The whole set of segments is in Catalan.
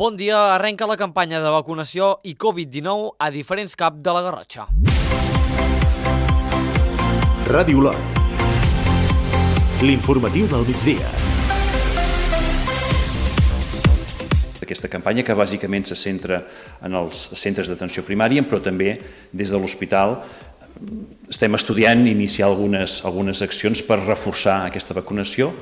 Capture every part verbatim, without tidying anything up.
Bon dia, arrenca la campanya de vacunació i Covid dinou a diferents C A P de la Garrotxa. Ràdio Olot. L'informatiu del migdia. Aquesta campanya que bàsicament se centra en els centres d'atenció primària, però també des de l'hospital estem estudiant iniciar algunes, algunes accions per reforçar aquesta vacunació,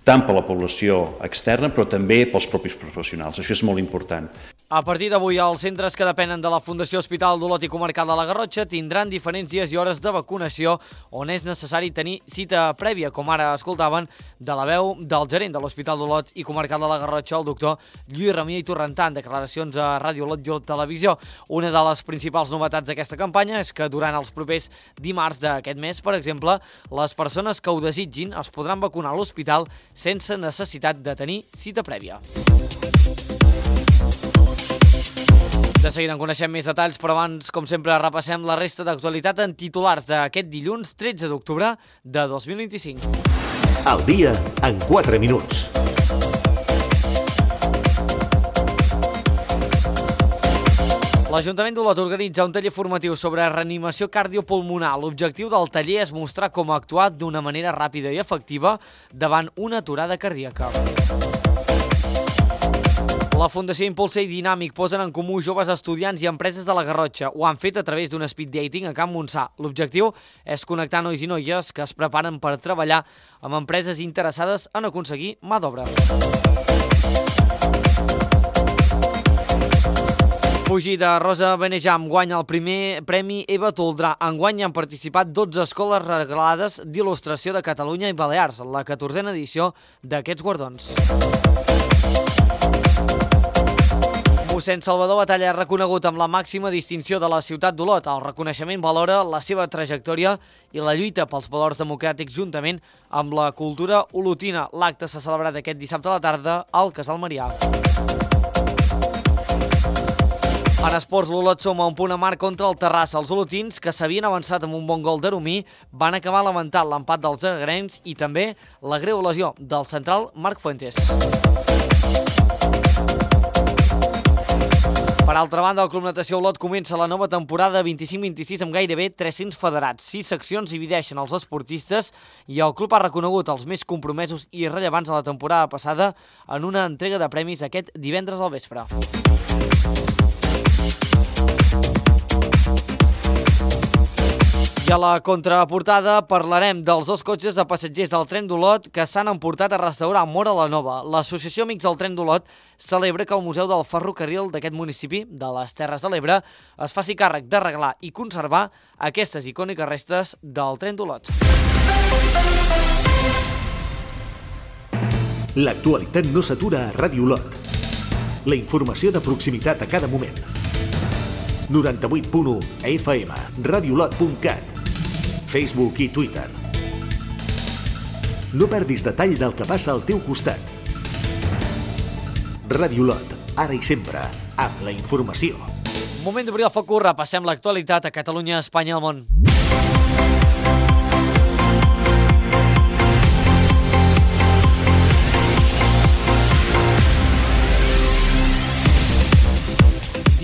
tant per la població externa, però també pels propis professionals. Això és molt important. A partir d'avui, els centres que depenen de la Fundació Hospital d'Olot i Comarcal de la Garrotxa tindran diferents dies i hores de vacunació on és necessari tenir cita prèvia, com ara escoltaven de la veu del gerent de l'Hospital d'Olot i Comarcal de la Garrotxa, el doctor Lluís Ramió i Torrentà, en declaracions a Ràdio Olot i Olot Televisió. Una de les principals novetats d'aquesta campanya és que durant els propers dimarts d'aquest mes, per exemple, les persones que ho desitgin es podran vacunar a l'hospital sense necessitat de tenir cita prèvia. De seguida en coneixem més detalls, però abans, com sempre, repassem la resta d'actualitat en titulars d'aquest dilluns tretze d'octubre de dos mil vint-i-cinc. El dia en quatre minuts. L'Ajuntament d'Olot organitza un taller formatiu sobre reanimació cardiopulmonar. L'objectiu del taller és mostrar com actuar d'una manera ràpida i efectiva davant una aturada cardíaca. La Fundació Impulsa i Dinàmic posen en comú joves estudiants i empreses de la Garrotxa. Ho han fet a través d'un speed dating a Can Montsà. L'objectiu és connectar nois i noies que es preparen per treballar amb empreses interessades en aconseguir mà d'obra. Fugir de Rosa Benejam guanya el primer Premi Eva Toldrà. Enguany han participat dotze escoles regalades d'il·lustració de Catalunya i Balears, la catorzena edició d'aquests guardons. Mossèn Salvador Batalla és reconegut amb la màxima distinció de la ciutat d'Olot. El reconeixement valora la seva trajectòria i la lluita pels valors democràtics juntament amb la cultura olotina. L'acte s'ha celebrat aquest dissabte a la tarda al Casal Marià. En esports, l'Olot suma un punt a marc contra el Terrassa. Els olotins, que s'havien avançat amb un bon gol d'Aromí, van acabar lamentant l'empat dels argrencs i també la greu lesió del central Marc Fuentes. Per altra banda, el Club Natació Olot comença la nova temporada vint-i-cinc vint-i-sis amb gairebé tres-cents federats. Sis seccions divideixen els esportistes i el club ha reconegut els més compromesos i rellevants de la temporada passada en una entrega de premis aquest divendres al vespre. I a la contraportada parlarem dels dos cotxes de passatgers del tren d'Olot que s'han emportat a restaurar Móra la Nova. L'Associació Amics del Tren d'Olot celebra que el Museu del Ferrocarril d'aquest municipi, de les Terres de l'Ebre, es faci càrrec d'arreglar i conservar aquestes icòniques restes del tren d'Olot. L'actualitat no s'atura a Ràdio Olot. La informació de proximitat a cada moment. noranta-vuit punt u F M, radiolot punt cat, Facebook i Twitter. No perdis detall del que passa al teu costat. Ràdio Olot, ara i sempre, amb la informació. Moment d'obrir el focus, repassem l'actualitat a Catalunya, Espanya i el món.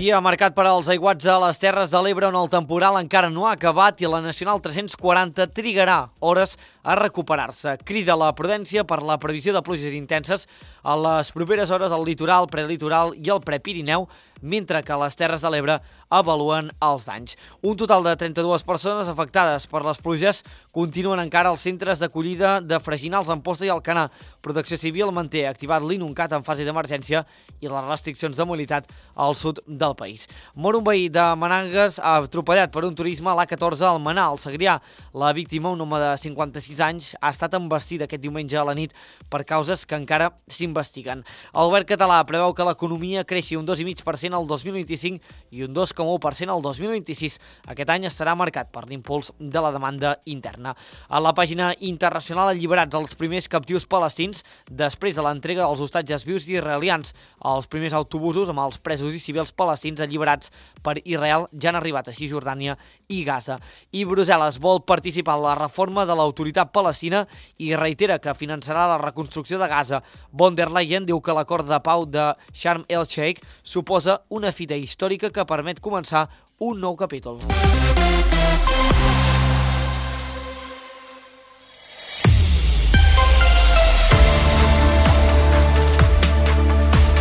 Dia marcat per als aiguats de les Terres de l'Ebre on el temporal encara no ha acabat i la Nacional tres-cents quaranta trigarà hores a recuperar-se. Crida la prudència per la previsió de pluges intenses a les properes hores al litoral, prelitoral i al prepirineu, mentre que a les Terres de l'Ebre avaluen els danys. Un total de trenta-dues persones afectades per les pluges continuen encara als centres d'acollida de Freginals, Amposta i Alcanar. Protecció Civil manté activat l'Inuncat en fase d'emergència i les restriccions de mobilitat al sud del país. Mor un veí de Manangues atropellat per un turisme a l'A catorze al Manà, al Segrià. La víctima, un home de cinquanta-sis anys, ha estat embestit aquest diumenge a la nit per causes que encara s'investiguen. El govern català preveu que l'economia creixi un dos coma cinc per cent cent el dos mil vint-i-cinc i un dos coma u per cent el dos mil vint-i-sis. Aquest any estarà marcat per l'impuls de la demanda interna. A la pàgina internacional, alliberats els primers captius palestins després de l'entrega dels hostatges vius israelians. Els primers autobusos amb els presos i civils palestins alliberats per Israel ja han arribat a Cisjordània i Gaza. I Brussel·les vol participar en la reforma de l'autoritat palestina i reitera que finançarà la reconstrucció de Gaza. Von der Leyen diu que l'acord de pau de Sharm el-Sheikh suposa una fita històrica que permet començar un nou capítol.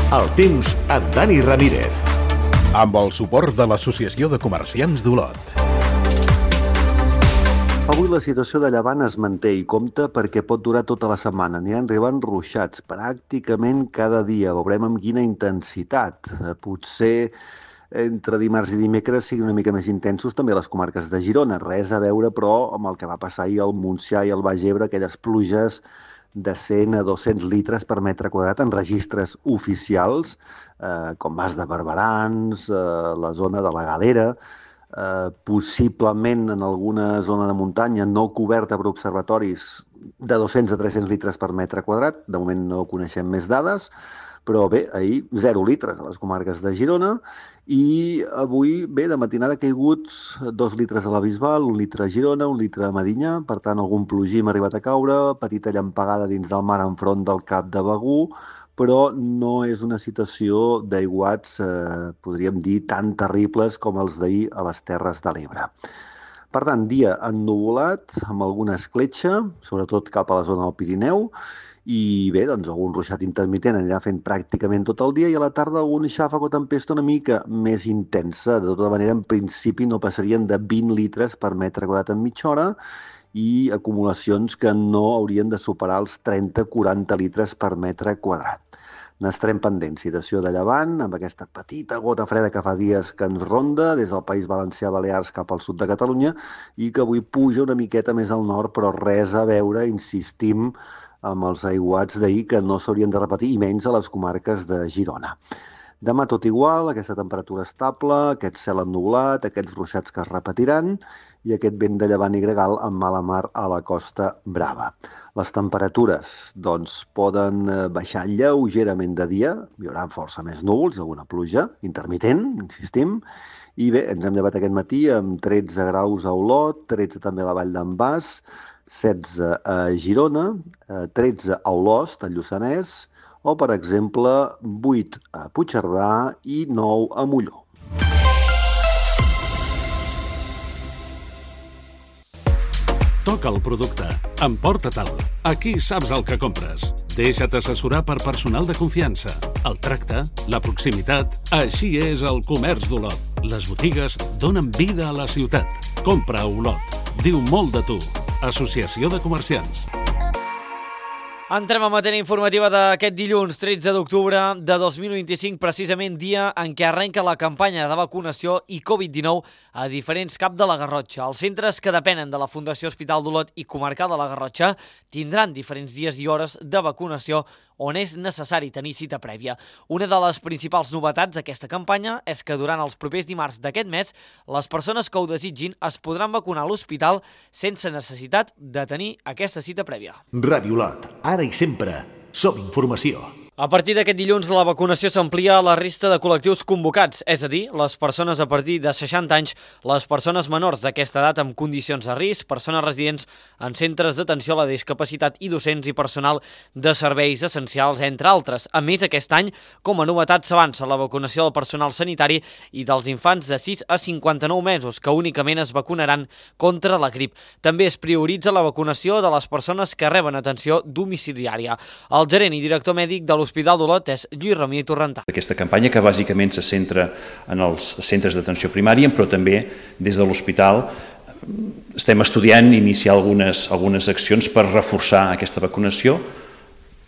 El temps amb Dani Ramírez. Amb el suport de l'Associació de Comerciants d'Olot. Avui la situació de llevant es manté i compta perquè pot durar tota la setmana. Aniran arribant ruixats pràcticament cada dia. Veurem amb quina intensitat. Potser entre dimarts i dimecres siguin una mica més intensos també les comarques de Girona. Res a veure, però, amb el que va passar ahir al Montsià i al Baix Ebre, aquelles pluges de cent a dos-cents litres per metre quadrat en registres oficials, eh, com Mas de Barberans, eh, la zona de la Galera, eh, possiblement en alguna zona de muntanya no coberta per observatoris de dos-cents a tres-cents litres per metre quadrat. De moment no coneixem més dades, però bé, ahir zero litres a les comarques de Girona i avui, bé, de matinada ha caigut dos litres a la Bisbal, un litre a Girona, un litre a Medinyà, per tant algun plogim ha arribat a caure, petita llampegada dins del mar enfront del Cap de Begur, però no és una situació d'aiguats, eh, podríem dir, tan terribles com els d'ahir a les Terres de l'Ebre. Per tant, dia ennuvolat, amb alguna escletxa, sobretot cap a la zona del Pirineu, i bé, doncs algun ruixat intermitent anirà fent pràcticament tot el dia i a la tarda algun xàfec o tempesta una mica més intensa. De tota manera, en principi no passarien de vint litres per metre quadrat en mitja hora i acumulacions que no haurien de superar els trenta a quaranta litres per metre quadrat. N'estarem pendents, situació de llevant, amb aquesta petita gota freda que fa dies que ens ronda des del País Valencià, Balears cap al sud de Catalunya i que avui puja una miqueta més al nord, però res a veure, insistim, amb els aiguats d'ahir que no s'haurien de repetir, i menys a les comarques de Girona. Demà tot igual, aquesta temperatura estable, aquest cel ennublat, aquests ruixats que es repetiran i aquest vent de llevant i gregal amb mala mar a la Costa Brava. Les temperatures doncs, poden baixar lleugerament de dia, hi haurà força més núvols, alguna pluja intermitent, insistim, i bé, ens hem llevat aquest matí amb tretze graus a Olot, tretze també a la Vall d'en Bas, setze a Girona, tretze a Olost, al Lluçanès, o, per exemple, vuit a Puigcerdà i nou a Molló. Toca el producte. Emporta-te'l. Aquí saps el que compres. Deixa't assessorar per personal de confiança. El tracte, la proximitat... Així és el comerç d'Olot. Les botigues donen vida a la ciutat. Compra a Olot. Diu molt de tu. Associació de Comerciants. Entrem a matèria informativa d'aquest dilluns, tretze d'octubre de dos mil vint-i-cinc, precisament dia en què arrenca la campanya de vacunació i covid dinou a diferents cap de la Garrotxa. Els centres que depenen de la Fundació Hospital d'Olot i Comarcal de la Garrotxa tindran diferents dies i hores de vacunació on és necessari tenir cita prèvia. Una de les principals novetats d'aquesta campanya és que durant els propers dimarts d'aquest mes, les persones que ho desitgin es podran vacunar a l'hospital sense necessitat de tenir aquesta cita prèvia. Ràdio Olot, ara i sempre, som informació. A partir d'aquest dilluns, la vacunació s'amplia a la resta de col·lectius convocats, és a dir, les persones a partir de seixanta anys, les persones menors d'aquesta edat amb condicions de risc, persones residents en centres d'atenció a la discapacitat i docents i personal de serveis essencials, entre altres. A més, aquest any, com a novetat, s'avança la vacunació del personal sanitari i dels infants de sis a cinquanta-nou mesos, que únicament es vacunaran contra la grip. També es prioritza la vacunació de les persones que reben atenció domiciliària. El gerent i director mèdic de l'Hospital d'Olot és Lluís Ramí Torrentà. Aquesta campanya que bàsicament se centra en els centres d'atenció primària, però també des de l'hospital estem estudiant iniciar algunes, algunes accions per reforçar aquesta vacunació,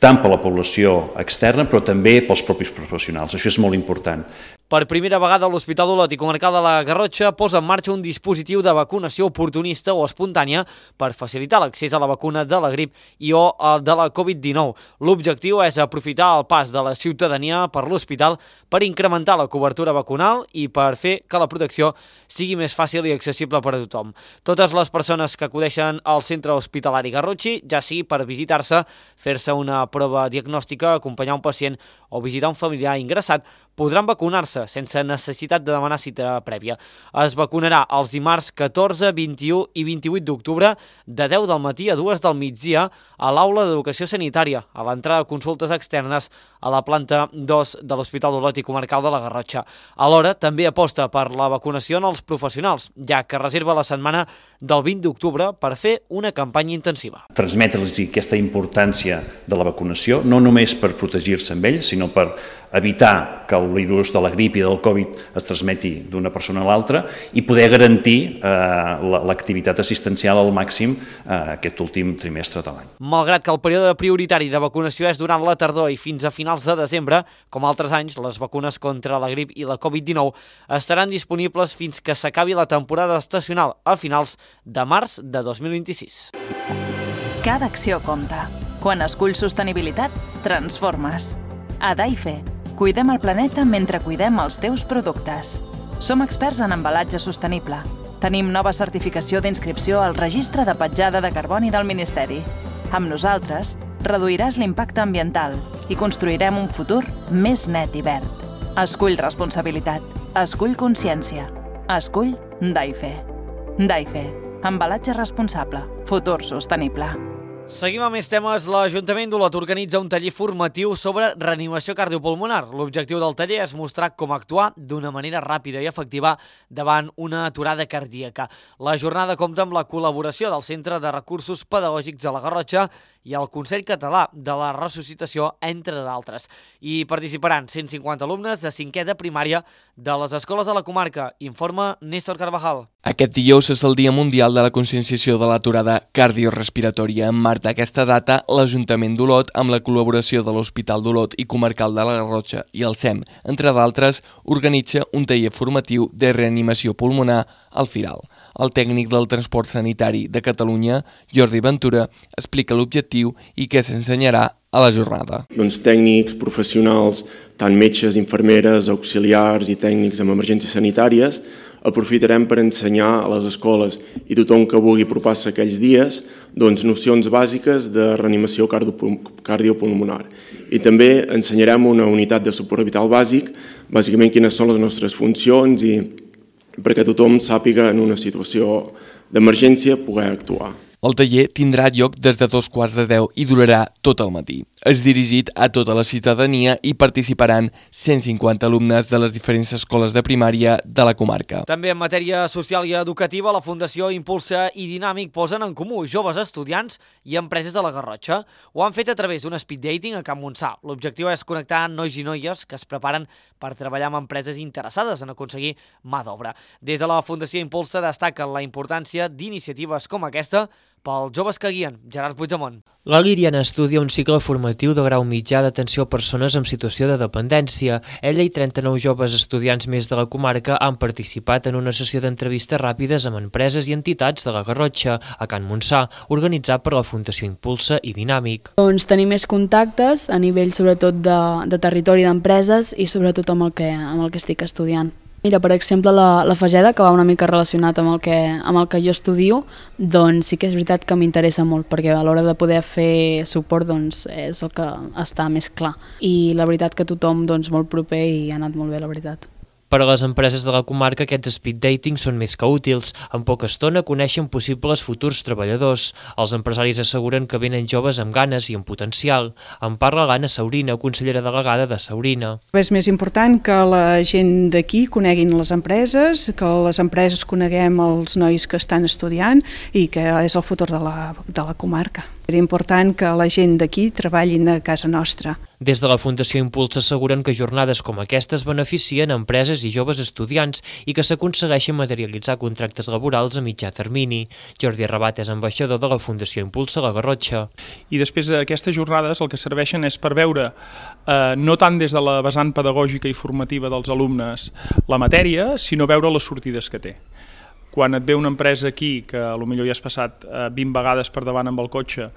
tant per la població externa, però també pels propis professionals. Això és molt important. Per primera vegada, l'Hospital d'Olot i Comarcal de la Garrotxa posa en marxa un dispositiu de vacunació oportunista o espontània per facilitar l'accés a la vacuna de la grip i o de la covid dinou. L'objectiu és aprofitar el pas de la ciutadania per l'hospital per incrementar la cobertura vacunal i per fer que la protecció sigui més fàcil i accessible per a tothom. Totes les persones que acudeixen al centre hospitalari Garrotxi, ja sigui per visitar-se, fer-se una prova diagnòstica, acompanyar un pacient o visitar un familiar ingressat, podran vacunar-se sense necessitat de demanar cita prèvia. Es vacunarà els dimarts catorze, vint-i-u i vint-i-vuit d'octubre de deu del matí a dues del migdia a l'Aula d'Educació Sanitària, a l'entrada de consultes externes a la planta dos de l'Hospital d'Olot i Comarcal de la Garrotxa. Alhora, també aposta per la vacunació en els professionals, ja que reserva la setmana del vint d'octubre per fer una campanya intensiva. Transmetre-los aquesta importància de la vacunació, no només per protegir-se amb ells, sinó per evitar que el virus de la grip i del Covid es transmeti d'una persona a l'altra i poder garantir eh, l'activitat assistencial al màxim eh, aquest últim trimestre de l'any. Malgrat que el període prioritari de vacunació és durant la tardor i fins a finals de desembre, com altres anys, les vacunes contra la grip i la covid dinou estaran disponibles fins que s'acabi la temporada estacional a finals de març de dos mil vint-i-sis. Cada acció compta. Quan esculls sostenibilitat, transformes. A Daife, cuidem el planeta mentre cuidem els teus productes. Som experts en embalatge sostenible. Tenim nova certificació d'inscripció al Registre de Petjada de Carboni del Ministeri. Amb nosaltres, reduiràs l'impacte ambiental i construirem un futur més net i verd. Escull responsabilitat. Escull consciència. Escull Daife. Daife. Embalatge responsable. Futur sostenible. Seguim amb més temes. L'Ajuntament d'Olot organitza un taller formatiu sobre reanimació cardiopulmonar. L'objectiu del taller és mostrar com actuar d'una manera ràpida i efectiva davant una aturada cardíaca. La jornada compta amb la col·laboració del Centre de Recursos Pedagògics de la Garrotxa i el Consell Català de la Ressuscitació, entre d'altres. Hi participaran cent cinquanta alumnes de cinquè de primària de les escoles de la comarca, informa Néstor Carvajal. Aquest dijous és el Dia Mundial de la Conscienciació de l'aturada cardiorespiratòria. En marc d'aquesta data, l'Ajuntament d'Olot, amb la col·laboració de l'Hospital d'Olot i Comarcal de la Garrotxa i el S E M, entre d'altres, organitza un taller formatiu de reanimació pulmonar al Firal. El tècnic del transport sanitari de Catalunya, Jordi Ventura, explica l'objectiu i què s'ensenyarà a la jornada. Doncs tècnics, professionals, tant metges, infermeres, auxiliars i tècnics en emergències sanitàries, aprofitarem per ensenyar a les escoles i tothom que vulgui apropar-se aquells dies doncs, nocions bàsiques de reanimació cardiopulmonar. I també ensenyarem una unitat de suport vital bàsic, bàsicament quines són les nostres funcions i perquè tothom sàpiga en una situació d'emergència poder actuar. El taller tindrà lloc des de dos quarts de deu i durarà tot el matí. És dirigit a tota la ciutadania i participaran cent cinquanta alumnes de les diferents escoles de primària de la comarca. També en matèria social i educativa, la Fundació Impulsa i Dinàmic posen en comú joves estudiants i empreses de la Garrotxa. Ho han fet a través d'un speed dating a Can Montsà. L'objectiu és connectar nois i noies que es preparen per treballar amb empreses interessades en aconseguir mà d'obra. Des de la Fundació Impulsa destaquen la importància d'iniciatives com aquesta pels joves que guien. Gerard Puigdemont. La Liriana estudia un cicle formatiu de grau mitjà d'atenció a persones en situació de dependència. Ella i trenta-nou joves estudiants més de la comarca han participat en una sessió d'entrevistes ràpides amb empreses i entitats de la Garrotxa, a Can Montsà, organitzat per la Fundació Impulsa i Dinàmic. Doncs tenir més contactes a nivell sobretot de, de territori d'empreses i sobretot amb el que, amb el que estic estudiant. Mira, per exemple, la, la Fageda, que va una mica relacionat amb el, que, amb el que jo estudio, doncs sí que és veritat que m'interessa molt, perquè a l'hora de poder fer suport doncs, és el que està més clar. I la veritat que tothom doncs, molt proper i ha anat molt bé, la veritat. Per a les empreses de la comarca, aquests speed dating són més que útils. En poca estona coneixen possibles futurs treballadors. Els empresaris asseguren que venen joves amb ganes i amb potencial. En parla l'Anna Saurina, consellera delegada de Saurina. És més important que la gent d'aquí coneguin les empreses, que les empreses coneguem els nois que estan estudiant i que és el futur de la, de la comarca. Era important que la gent d'aquí treballin a casa nostra. Des de la Fundació Impuls asseguren que jornades com aquestes beneficien empreses i joves estudiants i que s'aconsegueixen materialitzar contractes laborals a mitjà termini. Jordi Rabat és ambaixador de la Fundació Impuls a la Garrotxa. I després aquestes jornades el que serveixen és per veure, eh, no tant des de la vessant pedagògica i formativa dels alumnes la matèria, sinó veure les sortides que té. Quan et ve una empresa aquí, que potser ja has passat eh, vint vegades per davant amb el cotxe,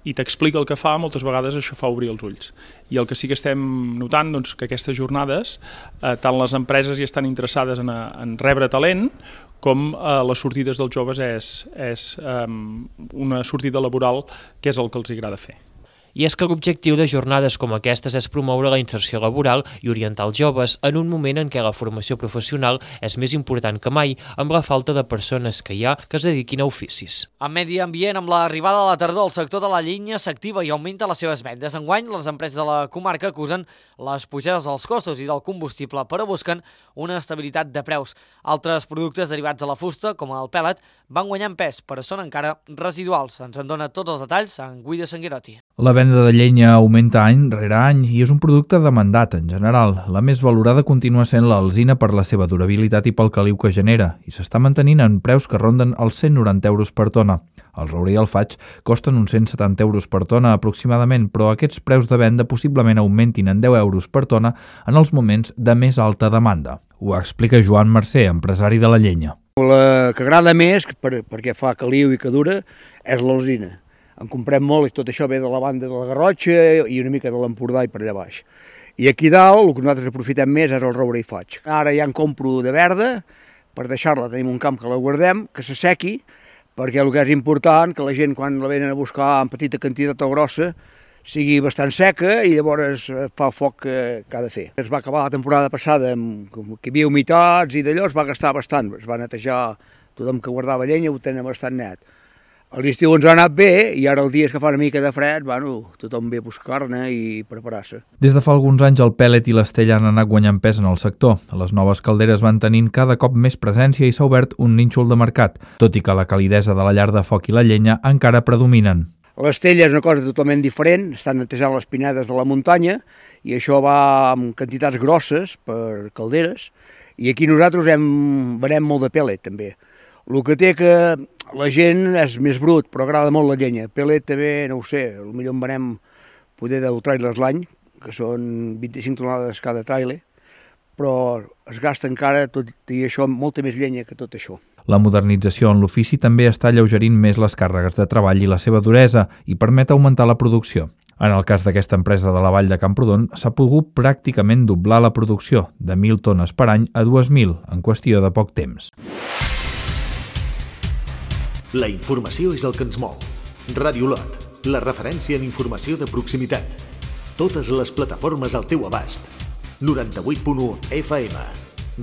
i t'explica el que fa, moltes vegades això fa obrir els ulls. I el que sí que estem notant, doncs, que aquestes jornades, eh, tant les empreses hi estan interessades en, a, en rebre talent, com eh, les sortides dels joves és, és eh, una sortida laboral que és el que els agrada fer. I és que l'objectiu de jornades com aquestes és promoure la inserció laboral i orientar els joves en un moment en què la formació professional és més important que mai, amb la falta de persones que hi ha que es dediquin a oficis. En medi ambient, amb l'arribada de la tardor, el sector de la llenya s'activa i augmenta les seves vendes. Enguany, les empreses de la comarca acusen les pujades dels costos i del combustible, però busquen una estabilitat de preus. Altres productes derivats de la fusta, com el pèl·let, van guanyant pes, però són encara residuals. Ens en dona tots els detalls en Guido Sanguerotti. La venda de llenya augmenta any rere any i és un producte demandat en general. La més valorada continua sent l'alzina per la seva durabilitat i pel caliu que genera i s'està mantenint en preus que ronden els cent noranta euros per tona. El roure i el faig costen uns cent setanta euros per tona aproximadament, però aquests preus de venda possiblement augmentin en deu euros per tona en els moments de més alta demanda. Ho explica Joan Mercè, empresari de la llenya. La que agrada més, per, perquè fa caliu i que dura, és l'alzina. En comprem molt i tot això ve de la banda de la Garrotxa i una mica de l'Empordà i per allà baix. I aquí dalt el que nosaltres aprofitem més és el roure i faig. Ara ja en compro de verda per deixar-la, tenim un camp que la guardem, que s'assequi, perquè el que és important que la gent quan la venen a buscar en petita quantitat o grossa sigui bastant seca i llavors fa el foc que, que ha de fer. Es va acabar la temporada passada amb que hi havia humitats i d'allò es va gastar bastant, es va netejar tothom que guardava llenya, ho tenen bastant net. A l'estiu ens ha anat bé i ara els dies que fa una mica de fred, bueno, tothom ve a buscar-ne i preparar-se. Des de fa alguns anys el pèl·let i l'estella han anat guanyant pes en el sector. Les noves calderes van tenint cada cop més presència i s'ha obert un nínxol de mercat, tot i que la calidesa de la llar de foc i la llenya encara predominen. L'estella és una cosa totalment diferent, estan netejant les pinedes de la muntanya i això va amb quantitats grosses per calderes i aquí nosaltres hem, venem molt de pèl·let també. El que té que la gent és més brut, però agrada molt la llenya. Pèl·let també, no ho sé, potser en venem poder deu trailers l'any, que són vint-i-cinc tonelades cada trailer, però es gasta encara, tot i això, molta més llenya que tot això. La modernització en l'ofici també està alleugerint més les càrregues de treball i la seva duresa i permet augmentar la producció. En el cas d'aquesta empresa de la Vall de Camprodon, s'ha pogut pràcticament doblar la producció, de mil tones per any a dues mil, en qüestió de poc temps. La informació és el que ens mou. Ràdio Lot, la referència en informació de proximitat. Totes les plataformes al teu abast. noranta-vuit punt u F M,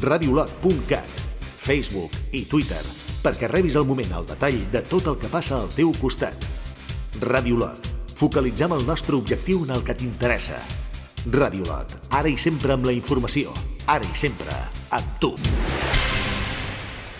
radiolot punt cat, Facebook i Twitter, perquè rebis al moment el detall de tot el que passa al teu costat. Ràdio Lot, focalitzem el nostre objectiu en el que t'interessa. Ràdio Lot, ara i sempre amb la informació, ara i sempre amb tu.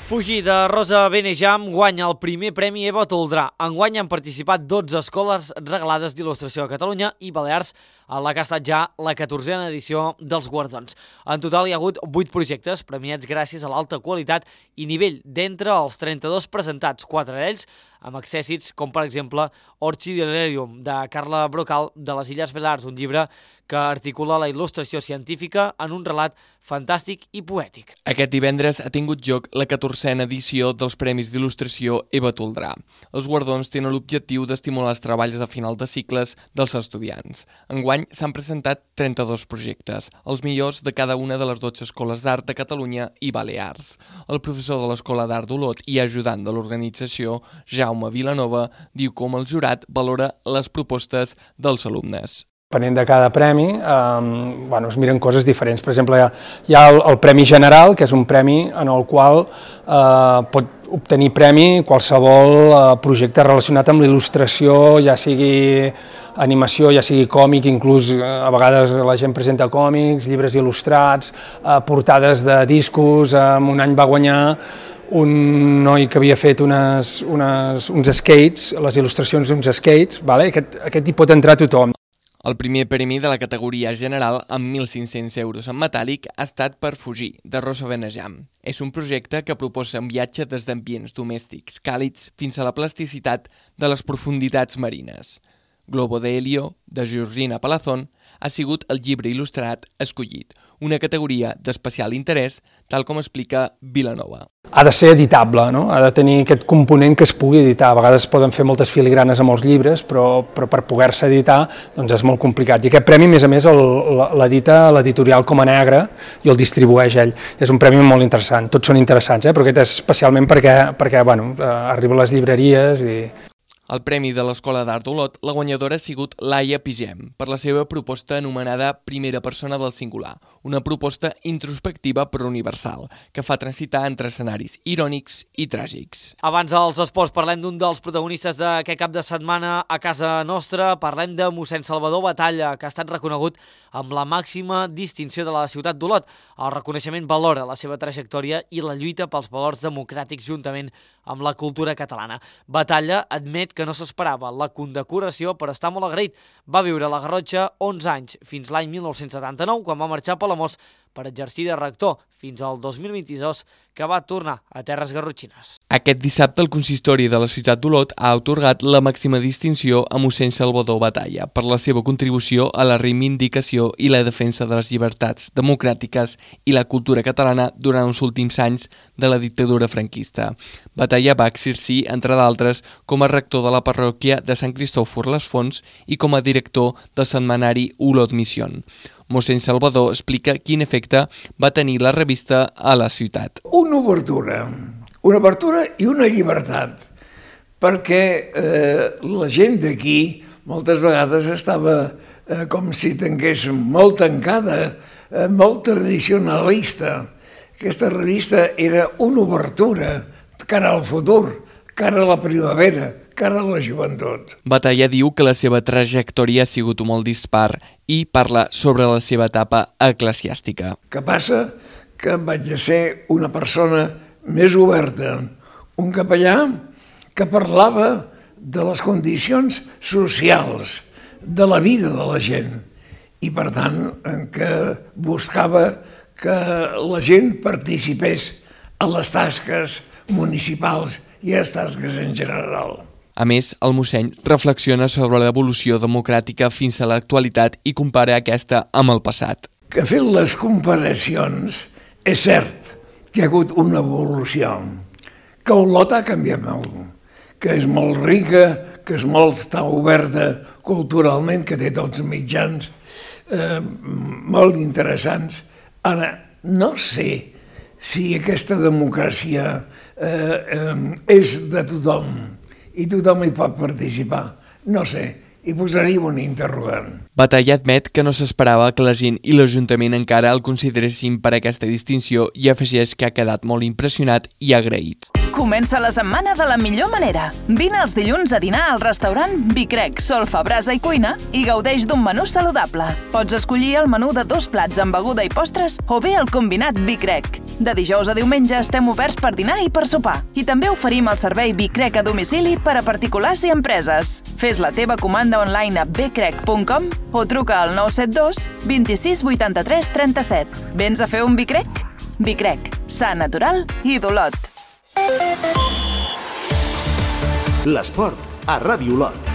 Fugir de Rosa Benejam guanya el primer premi Eva Toldrà. Enguany han participat dotze escoles regalades d'il·lustració a Catalunya i Balears, en la que ha estat ja la catorzena edició dels guardons. En total hi ha hagut vuit projectes premiats gràcies a l'alta qualitat i nivell d'entre els trenta-dos presentats, quatre d'ells amb accèssits com per exemple Orchidilarium de Carla Brocal de les Illes Balears, un llibre que articula la il·lustració científica en un relat fantàstic i poètic. Aquest divendres ha tingut lloc la catorzena edició dels Premis d'il·lustració Eva Toldrà. Els guardons tenen l'objectiu d'estimular els treballs a final de cicles dels estudiants. Enguany s'han presentat trenta-dos projectes, els millors de cada una de les dotze escoles d'art de Catalunya i Balears. El professor de l'Escola d'Art d'Olot i ajudant de l'organització, Jaume Vilanova, diu com el jurat valora les propostes dels alumnes. Depenent de cada premi, eh, bueno, es miren coses diferents. Per exemple, hi ha el, el Premi General, que és un premi en el qual eh, pot obtenir premi qualsevol eh, projecte relacionat amb l'il·lustració, ja sigui animació, ja sigui còmic, inclús eh, a vegades la gent presenta còmics, llibres il·lustrats, eh, portades de discos. Eh, un any va guanyar un noi que havia fet unes, unes, uns skates, les il·lustracions d'uns skates, vale? aquest, aquest hi pot entrar tothom. El primer premi de la categoria general, amb mil cinc-cents euros en metàl·lic, ha estat per Fugir, de Rosa Benejam. És un projecte que proposa un viatge des d'ambients domèstics càlids fins a la plasticitat de les profunditats marines. Globo de Helio, de Georgina Palazón, ha sigut el llibre il·lustrat escollit, una categoria d'especial interès, tal com explica Vilanova. Ha de ser editable, no? Ha de tenir aquest component que es pugui editar. A vegades poden fer moltes filigranes a molts llibres, però, però per poder-se editar doncs és molt complicat. I aquest premi, a més a més, l'edita l'editorial Coma Negra i el distribueix ell. És un premi molt interessant. Tots són interessants, eh? Però aquest és especialment perquè, perquè bueno, arriba a les llibreries i... Al Premi de l'Escola d'Art d'Olot, la guanyadora ha sigut Laia Pigem, per la seva proposta anomenada Primera persona del singular, una proposta introspectiva però universal, que fa transitar entre escenaris irònics i tràgics. Abans dels esports parlem d'un dels protagonistes d'aquest cap de setmana a casa nostra, parlem de mossèn Salvador Batalla, que ha estat reconegut amb la màxima distinció de la ciutat d'Olot. El reconeixement valora la seva trajectòria i la lluita pels valors democràtics juntament amb la cultura catalana. Batalla admet que no s'esperava la condecoració, però està molt agraït. Va viure a la Garrotxa onze anys, fins l'any mil nou-cents setanta-nou, quan va marxar a Palamós per exercir de rector, fins al dos mil vint-i-dos, que va tornar a terres garrotxines. Aquest dissabte el consistori de la ciutat d'Olot ha atorgat la màxima distinció a mossèn Salvador Batalla per la seva contribució a la reivindicació i la defensa de les llibertats democràtiques i la cultura catalana durant els últims anys de la dictadura franquista. Batalla va exercir, entre d'altres, com a rector de la parròquia de Sant Cristòfor les Fonts i com a director del setmanari Olot Mission. Mossèn Salvador explica quin efecte va tenir la revista a la ciutat. Una obertura, una obertura i una llibertat, perquè eh, la gent d'aquí moltes vegades estava eh, com si tingués molt tancada, eh, molt tradicionalista. Aquesta revista era una obertura cara al futur, cara a la primavera, cara a la joventut. Batalla diu que la seva trajectòria ha sigut molt dispar i parla sobre la seva etapa eclesiàstica. Què passa? Que vaig a ser una persona més oberta, un capellà que parlava de les condicions socials, de la vida de la gent, i per tant que buscava que la gent participés a les tasques municipals i a les tasques en general. A més, el mossèn reflexiona sobre l'evolució democràtica fins a l'actualitat i compara aquesta amb el passat. Que fent les comparacions, és cert que hi ha hagut una evolució, que Olot ha canviat molt, que és molt rica, que és molt està oberta culturalment, que té tots els mitjans eh, molt interessants. Ara, no sé si aquesta democràcia eh, eh, és de tothom, i tothom hi pot participar. No sé, hi posaria un interrogant. Batalla admet que no s'esperava que la gent i l'Ajuntament encara el consideressin per aquesta distinció i afegeix que ha quedat molt impressionat i agraït. Comença la setmana de la millor manera. Vine els dilluns a dinar al restaurant Vicrec, Solfa, Brasa i Cuina i gaudeix d'un menú saludable. Pots escollir el menú de dos plats amb beguda i postres o bé el combinat Vicrec. De dijous a diumenge estem oberts per dinar i per sopar. I també oferim el servei Vicrec a domicili per a particulars i empreses. Fes la teva comanda online a becrec punt com o truca al nou set dos, vint-i-sis, vuitanta-tres, trenta-set. Vens a fer un Vicrec? Vicrec, sa, natural i d'Olot. L'esport a Ràdio Olot.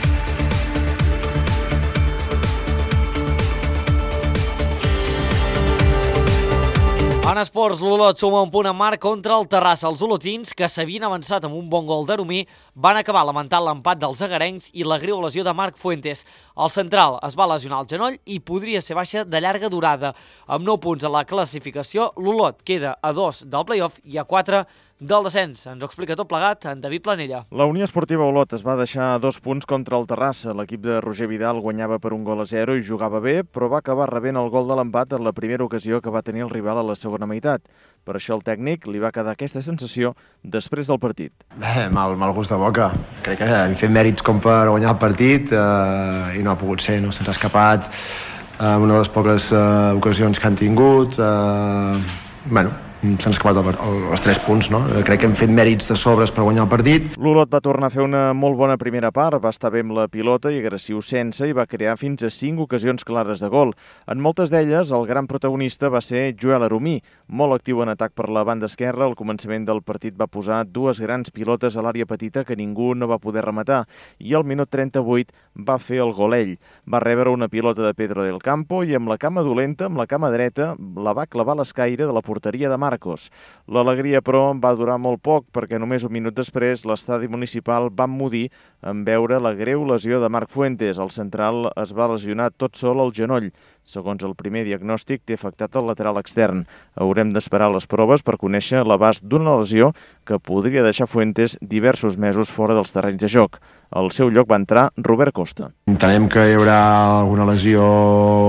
En esports, l'Olot suma un punt a marc contra el Terrassa. Els olotins, que s'havien avançat amb un bon gol d'Aromí, van acabar lamentant l'empat dels agarencs i la greu lesió de Marc Fuentes. El central es va lesionar el genoll i podria ser baixa de llarga durada. Amb nou punts a la classificació, l'Olot queda a dos del play-off i a quatre del descens. Ens ho explica tot plegat en David Planella. La Unió Esportiva Olot es va deixar dos punts contra el Terrassa. L'equip de Roger Vidal guanyava per un gol a zero i jugava bé, però va acabar rebent el gol de l'empat en la primera ocasió que va tenir el rival a la segona meitat. Per això el tècnic li va quedar aquesta sensació després del partit. Bé, mal, mal gust de boca. Crec que hem fet mèrits com per guanyar el partit eh, i no ha pogut ser, no se'ns ha escapat eh, una de les poques eh, ocasions que han tingut. Eh, bueno, s'han escapat el, el, els tres punts, no? Crec que hem fet mèrits de sobres per guanyar el partit. L'Olot va tornar a fer una molt bona primera part, va estar bé amb la pilota i agressiu sense i va crear fins a cinc ocasions clares de gol. En moltes d'elles, el gran protagonista va ser Joel Aromí, molt actiu en atac per la banda esquerra. Al començament del partit va posar dues grans pilotes a l'àrea petita que ningú no va poder rematar i al minut trenta-vuit va fer el gol ell. Va rebre una pilota de Pedro del Campo i amb la cama dolenta, amb la cama dreta, la va clavar a l'escaire de la porteria de Marcos. L'alegria, però, va durar molt poc perquè només un minut després l'estadi municipal va emmudir en veure la greu lesió de Marc Fuentes. El central es va lesionar tot sol al genoll. Segons el primer diagnòstic, té afectat el lateral extern. Haurem d'esperar les proves per conèixer l'abast d'una lesió que podria deixar Fuentes diversos mesos fora dels terrenys de joc. Al seu lloc va entrar Robert Costa. Entenem que hi haurà alguna lesió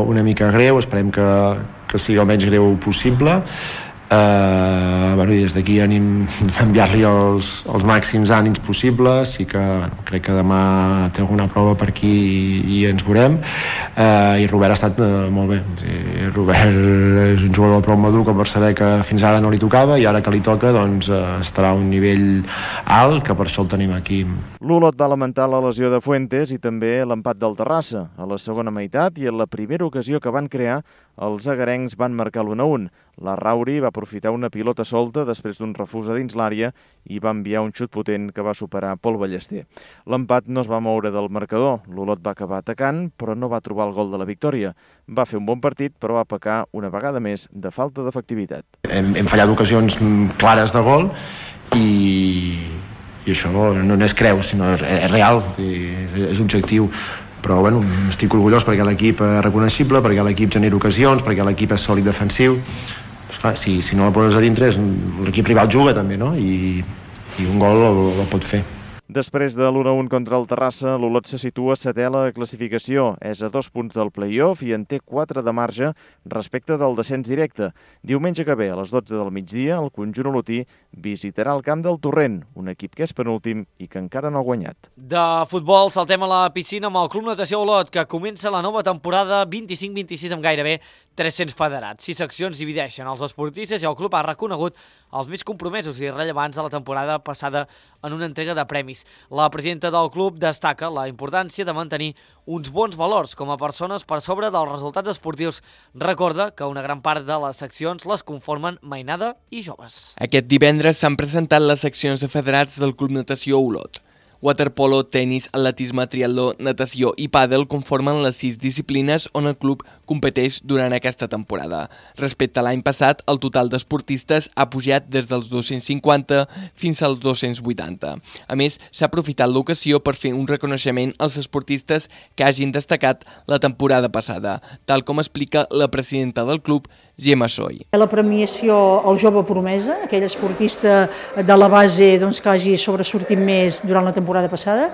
una mica greu, esperem que, que sigui el menys greu possible. Uh, bueno, i des d'aquí anem a enviar-li els, els màxims ànims possibles. Sí que bueno, crec que demà té alguna prova per aquí i, i ens veurem. Uh, i Robert ha estat uh, molt bé. Sí, Robert és un jugador prou madur com per saber que fins ara no li tocava i ara que li toca doncs, uh, estarà a un nivell alt, que per això el tenim aquí. L'Olot va lamentar la lesió de Fuentes i també l'empat del Terrassa. A la segona meitat i en la primera ocasió que van crear, els agarencs van marcar l'u a u. La Rauri va aprofitar una pilota solta després d'un refús a dins l'àrea i va enviar un xut potent que va superar Pol Ballester. L'empat no es va moure del marcador. L'Olot va acabar atacant, però no va trobar el gol de la victòria. Va fer un bon partit, però va pecar una vegada més de falta d'efectivitat. Hem, hem fallat ocasions clares de gol i, i això no, no és creu, sinó és, és real, és, és objectiu. Però bueno, estic orgullós perquè l'equip és reconeixible, perquè l'equip genera ocasions, perquè l'equip és sòlid defensiu. Pues clar, si, si no el poses a dintre, l'equip rival juga també, no? I, i un gol el, el pot fer. Després de l'u a u contra el Terrassa, l'Olot se situa setè a la classificació. És a dos punts del play-off i en té quatre de marge respecte del descens directe. Diumenge que ve, a les dotze del migdia, el conjunt olotí visitarà el camp del Torrent, un equip que és penúltim i que encara no ha guanyat. De futbol, saltem a la piscina amb el Club Natació Olot, que comença la nova temporada vint-i-cinc vint-i-sis amb gairebé tres-cents federats. Sis seccions divideixen els esportistes i el club ha reconegut els més compromesos i rellevants de la temporada passada en una entrega de premis. La presidenta del club destaca la importància de mantenir uns bons valors com a persones per sobre dels resultats esportius. Recorda que una gran part de les seccions les conformen mainada i joves. Aquest divendres s'han presentat les seccions de federats del Club Natació Olot. Waterpolo, tenis, atletisme, triatló, natació i pàdel conformen les sis disciplines on el club competeix durant aquesta temporada. Respecte a l'any passat, el total d'esportistes ha pujat des dels dos-cents cinquanta fins als dos-cents vuitanta. A més, s'ha aprofitat l'ocasió per fer un reconeixement als esportistes que hagin destacat la temporada passada, tal com explica la presidenta del club, Gemma Soy. La premiació al jove promesa, aquell esportista de la base doncs, que hagi sobresortit més durant la temporada passada.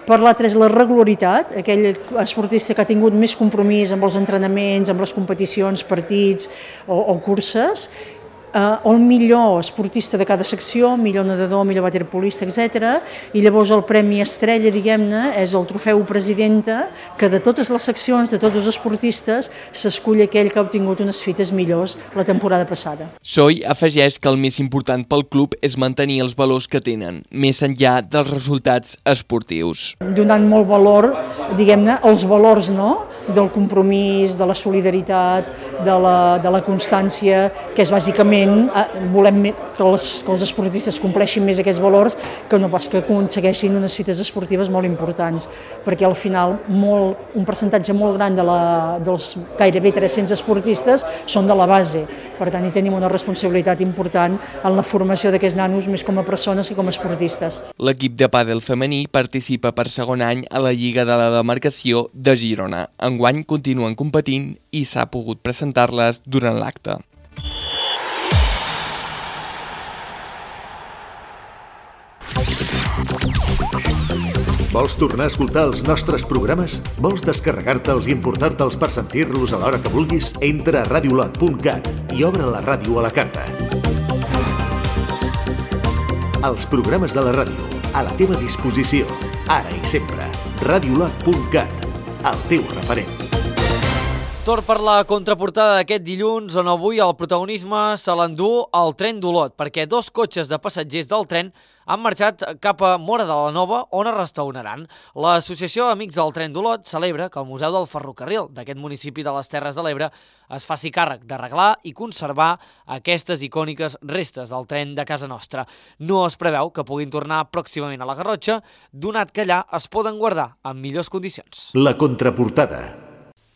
Per l'altre és la regularitat, aquell esportista que ha tingut més compromís amb els entrenaments, amb les competicions, partits o, o curses. Uh, el millor esportista de cada secció, millor nedador, millor waterpolista, etcètera. I llavors el premi estrella, diguem-ne, és el trofeu presidenta, que de totes les seccions, de tots els esportistes, s'escull aquell que ha obtingut unes fites millors la temporada passada. Soy afegeix que el més important pel club és mantenir els valors que tenen, més enllà dels resultats esportius. Donant molt valor, diguem-ne, els valors, no?, del compromís, de la solidaritat, de la, de la constància, que és bàsicament volem que els, que els esportistes compleixin més aquests valors que no pas que aconsegueixin unes fites esportives molt importants, perquè al final molt, un percentatge molt gran de la, dels gairebé tres-cents esportistes són de la base, per tant hi tenim una responsabilitat important en la formació d'aquests nanos més com a persones que com a esportistes. L'equip de pàdel femení participa per segon any a la Lliga de la Demarcació de Girona. Enguany continuen competint i s'ha pogut presentar-les durant l'acte. Vols tornar a escoltar els nostres programes? Vols descarregar-te'ls i importar-te'ls per sentir-los a l'hora que vulguis? Entra a radiolot punt cat i obre la ràdio a la carta. Els programes de la ràdio, a la teva disposició, ara i sempre. radiolot punt cat, el teu referent. Torn per la contraportada d'aquest dilluns, on avui el protagonisme se l'endú el tren d'Olot, perquè dos cotxes de passatgers del tren han marxat cap a Móra de la Nova, on es restauraran. L'Associació Amics del Tren d'Olot celebra que el Museu del Ferrocarril d'aquest municipi de les Terres de l'Ebre es faci càrrec d'arreglar i conservar aquestes icòniques restes del tren de casa nostra. No es preveu que puguin tornar pròximament a la Garrotxa, donat que allà es poden guardar en millors condicions. La contraportada.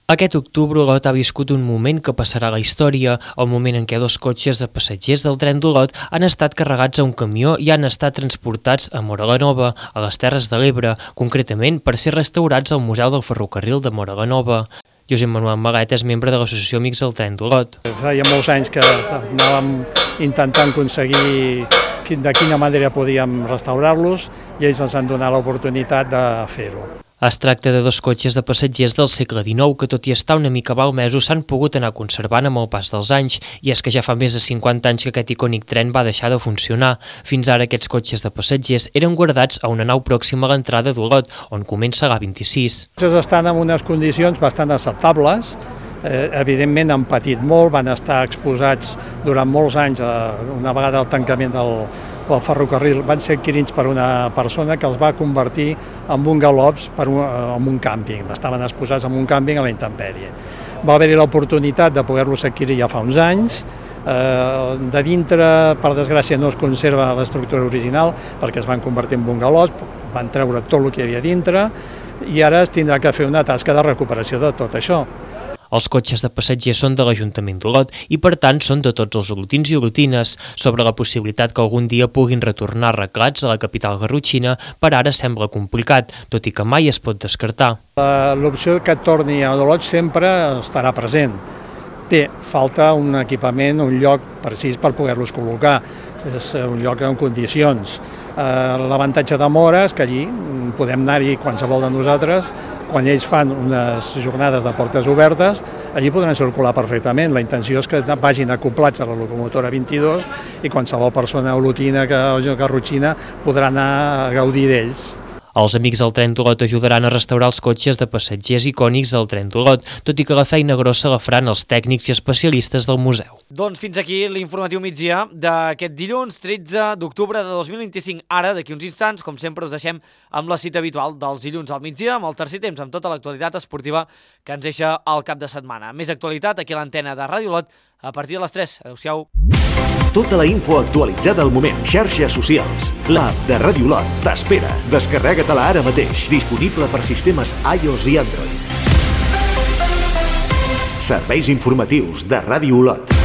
Aquest octubre Olot ha viscut un moment que passarà a la història, el moment en què dos cotxes de passatgers del tren d'Olot han estat carregats a un camió i han estat transportats a Móra la Nova, a les Terres de l'Ebre, concretament per ser restaurats al Museu del Ferrocarril de Móra la Nova. Josep Manuel Malet és membre de l'Associació Amics del Tren d'Olot. Feia molts anys que anàvem intentant aconseguir de quina manera podíem restaurar-los i ells ens han donat l'oportunitat de fer-ho. Es tracta de dos cotxes de passatgers del segle dinou que, tot i estar una mica malmesos, s'han pogut anar conservant amb el pas dels anys, i és que ja fa més de cinquanta anys que aquest icònic tren va deixar de funcionar. Fins ara aquests cotxes de passatgers eren guardats a una nau pròxima a l'entrada d'Olot, on comença l'A vint-i-sis. Estan en unes condicions bastant acceptables, eh, evidentment han patit molt, van estar exposats durant molts anys, eh, una vegada el tancament del el ferrocarril, van ser adquirits per una persona que els va convertir en bungalows per un, en un càmping. Estaven exposats en un càmping a la intempèrie. Va haver-hi l'oportunitat de poder-los adquirir ja fa uns anys. Eh, de dintre, per desgràcia, no es conserva l'estructura original perquè es van convertir en bungalows, van treure tot el que hi havia dintre i ara es tindrà que fer una tasca de recuperació de tot això. Els cotxes de passatgers són de l'Ajuntament d'Olot i, per tant, són de tots els olotins i olotines. Sobre la possibilitat que algun dia puguin retornar arreglats a la capital garrotxina, per ara sembla complicat, tot i que mai es pot descartar. L'opció que torni a Olot sempre estarà present. Bé, falta un equipament, un lloc precís per poder-los col·locar, és un lloc en condicions. L'avantatge de Móra és que allí podem anar-hi qualsevol de nosaltres, quan ells fan unes jornades de portes obertes, allí podran circular perfectament. La intenció és que vagin acoplats a la locomotora vint-i-dos i qualsevol persona olotina o garrotxina podrà anar a gaudir d'ells. Els Amics del Tren d'Olot ajudaran a restaurar els cotxes de passatgers icònics del Tren d'Olot, tot i que la feina grossa la faran els tècnics i especialistes del museu. Doncs fins aquí l'informatiu migdia d'aquest dilluns tretze d'octubre de dos mil vint-i-cinc. Ara, d'aquí uns instants, com sempre, us deixem amb la cita habitual dels dilluns al migdia, amb el tercer temps, amb tota l'actualitat esportiva que ens deixa al cap de setmana. Més actualitat aquí a l'antena de Ràdio Olot a partir de les tres. Adéu-siau. Tota la info actualitzada al moment. Xarxes socials. L'app de Ràdio Olot t'espera. Descarrega-te-la ara mateix. Disponible per sistemes iOS i Android. Serveis informatius de Ràdio Olot.